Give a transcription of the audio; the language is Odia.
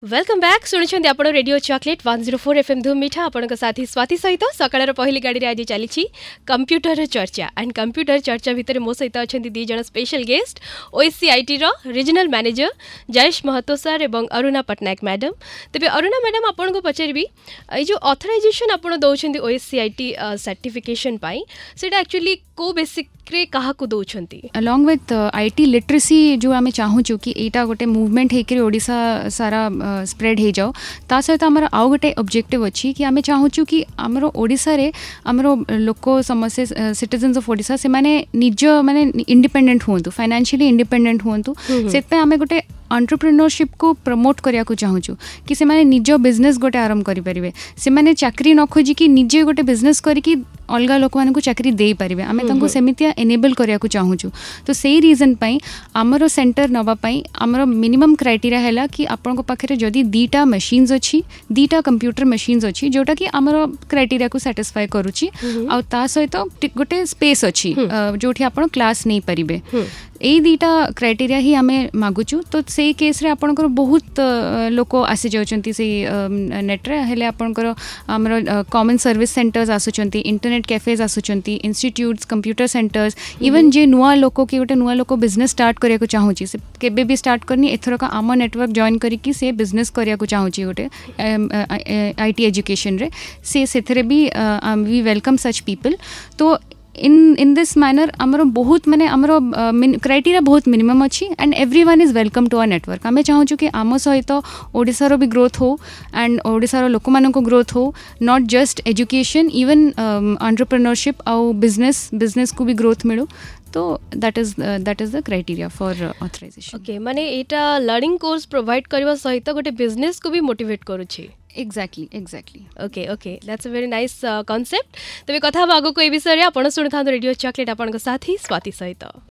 Welcome back. ଶୁଣୁଛନ୍ତି ଆପଣ ରେଡ଼ିଓ ଚକୋଲେଟ୍ 104 ଏଫ୍ଏମ୍ ଧୁମ୍ ମିଠା, ଆପଣଙ୍କ ସାଥୀ ସ୍ୱାତି ସହିତ। ସକାଳର ପହିଲି ଗାଡ଼ିରେ ଆଜି ଚାଲିଛି କମ୍ପ୍ୟୁଟରର ଚର୍ଚ୍ଚା। ଆଣ୍ଡ କମ୍ପ୍ୟୁଟର ଚର୍ଚ୍ଚା ଭିତରେ ମୋ ସହିତ ଅଛନ୍ତି ଦୁଇ ଜଣ ସ୍ପେଶାଲ ଗେଷ୍ଟ, ଓଏସସିଆଇଟିର regional manager Jayesh Mahato sir ଏବଂ ଅରୁଣା ପଟ୍ଟନାୟକ ମ୍ୟାଡାମ୍। ତେବେ ଅରୁଣା ମ୍ୟାଡାମ୍, ଆପଣଙ୍କୁ ପଚାରିବି, ଏଇ ଯେଉଁ ଅଥରାଇଜେସନ୍ ଆପଣ ଦେଉଛନ୍ତି ଓଏସସିଆଇଟି ସାର୍ଟିଫିକେସନ୍ ପାଇଁ, ସେଇଟା ଆକ୍ଚୁଆଲି କେଉଁ ବେସିକ୍ରେ କାହାକୁ ଦେଉଛନ୍ତି? Along with IT literacy, ଯେଉଁ ଆମେ ଚାହୁଁଛୁ କି ଏଇଟା ଗୋଟେ ମୁଭମେଣ୍ଟ ହେଇକରି ଓଡ଼ିଶା ସାରା ସ୍ପ୍ରେଡ୍ ହେଇଯାଉ, ତା ସହିତ ଆମର ଆଉ ଗୋଟେ ଅବଜେକ୍ଟିଭ୍ ଅଛି କି ଆମେ ଚାହୁଁଛୁ କି ଆମର ଓଡ଼ିଶାରେ ଆମର ଲୋକ ସମସ୍ତେ, ସିଟିଜେନ୍ସ ଅଫ୍ ଓଡ଼ିଶା, ସେମାନେ ନିଜ ମାନେ ଇଣ୍ଡିପେଣ୍ଡେଣ୍ଟ ହୁଅନ୍ତୁ, ଫାଇନାନ୍ସିଆଲି ଇଣ୍ଡିପେଣ୍ଡେଣ୍ଟ ହୁଅନ୍ତୁ। ସେଥିପାଇଁ ଆମେ ଗୋଟେ ଏଣ୍ଟରପ୍ରିନରସିପ୍କୁ ପ୍ରମୋଟ୍ କରିବାକୁ ଚାହୁଁଛୁ କି ସେମାନେ ନିଜ ବିଜନେସ୍ ଗୋଟେ ଆରମ୍ଭ କରିପାରିବେ, ସେମାନେ ଚାକିରି ନ ଖୋଜିକି ନିଜେ ଗୋଟେ ବିଜନେସ୍ କରିକି ଅଲଗା ଲୋକମାନଙ୍କୁ ଚାକିରି ଦେଇପାରିବେ। ଆମେ ତାଙ୍କୁ ସେମିତିଆ ଏନେବଲ୍ କରିବାକୁ ଚାହୁଁଛୁ। ତ ସେଇ ରିଜନ୍ ପାଇଁ ଆମର ସେଣ୍ଟର ନେବା ପାଇଁ ଆମର ମିନିମମ୍ କ୍ରାଇଟେରିଆ ହେଲା କି ଆପଣଙ୍କ ପାଖରେ ଯଦି ଦୁଇଟା ମେସିନ୍ସ ଅଛି, ଦୁଇଟା କମ୍ପ୍ୟୁଟର ମେସିନ୍ସ ଅଛି, ଯେଉଁଟାକି ଆମର କ୍ରାଇଟେରିଆକୁ ସାଟିସ୍ଫାଏ କରୁଛି, ଆଉ ତା ସହିତ ଗୋଟେ ସ୍ପେସ୍ ଅଛି ଯେଉଁଠି ଆପଣ କ୍ଲାସ୍ ନେଇପାରିବେ, ଏଇ ଦୁଇଟା କ୍ରାଇଟେରିଆ ହିଁ ଆମେ ମାଗୁଛୁ। ତ ସେଇ କେସ୍ରେ ଆପଣଙ୍କର ବହୁତ ଲୋକ ଆସିଯାଉଛନ୍ତି ସେଇ ନେଟ୍ରେ। ହେଲେ ଆପଣଙ୍କର ଆମର କମନ୍ ସର୍ଭିସ୍ ସେଣ୍ଟର୍ସ ଆସୁଛନ୍ତି, ଇଣ୍ଟରନେଟ୍ କ୍ୟାଫେଜ୍ ଆସୁଛନ୍ତି, ଇନଷ୍ଟିଟ୍ୟୁଟ୍ସ, କମ୍ପ୍ୟୁଟର ସେଣ୍ଟର୍ସ, ଇଭେନ୍ ଯିଏ ନୂଆ ଲୋକ କି ଗୋଟେ ନୂଆ ଲୋକ ବିଜନେସ୍ ଷ୍ଟାର୍ଟ କରିବାକୁ ଚାହୁଁଛି, ସେ କେବେ ବି ଷ୍ଟାର୍ଟ କରିନି, ଏଥରକ ଆମ ନେଟୱାର୍କ ଜଏନ୍ କରିକି ସେ ବିଜନେସ୍ କରିବାକୁ ଚାହୁଁଛି ଗୋଟେ IT ଏଜୁକେସନ୍ରେ, ସେ ସେଥିରେ ବି we welcome such people. ତ ଇନ୍ this ମ୍ୟାନର୍ ଆମର ବହୁତ ମାନେ ଆମର କ୍ରାଇଟେରିଆ ବହୁତ ମିନିମମ୍ ଅଛି and everyone is welcome to our network. ଆମେ ଚାହୁଁଛୁ କି ଆମ ସହିତ ଓଡ଼ିଶାର ବି ଗ୍ରୋଥ୍ ହଉ ଆଣ୍ଡ ଓଡ଼ିଶାର ଲୋକମାନଙ୍କ ଗ୍ରୋଥ୍ ହଉ, not just education, even entrepreneurship ଆଉ ବିଜନେସ୍କୁ ବି ଗ୍ରୋଥ୍ ମିଳୁ। ତ that is the criteria for authorization. Okay, ମାନେ ଏଇଟା ଲର୍ଣ୍ଣିଂ କୋର୍ସ ପ୍ରୋଭାଇଡ୍ କରିବା ସହିତ ଗୋଟେ ବିଜନେସ୍କୁ ବି ମୋଟିଭେଟ୍ କରୁଛି। Exactly. Okay, that's a very nice concept. ତେବେ କଥା ହେବା ଆଗକୁ ଏ ବିଷୟରେ। ଆପଣ ଶୁଣୁଥାନ୍ତୁ ରେଡ଼ିଓ ଚକୋଲେଟ୍, ଆପଣଙ୍କ ସାଥୀ ସ୍ୱାତି ସହିତ।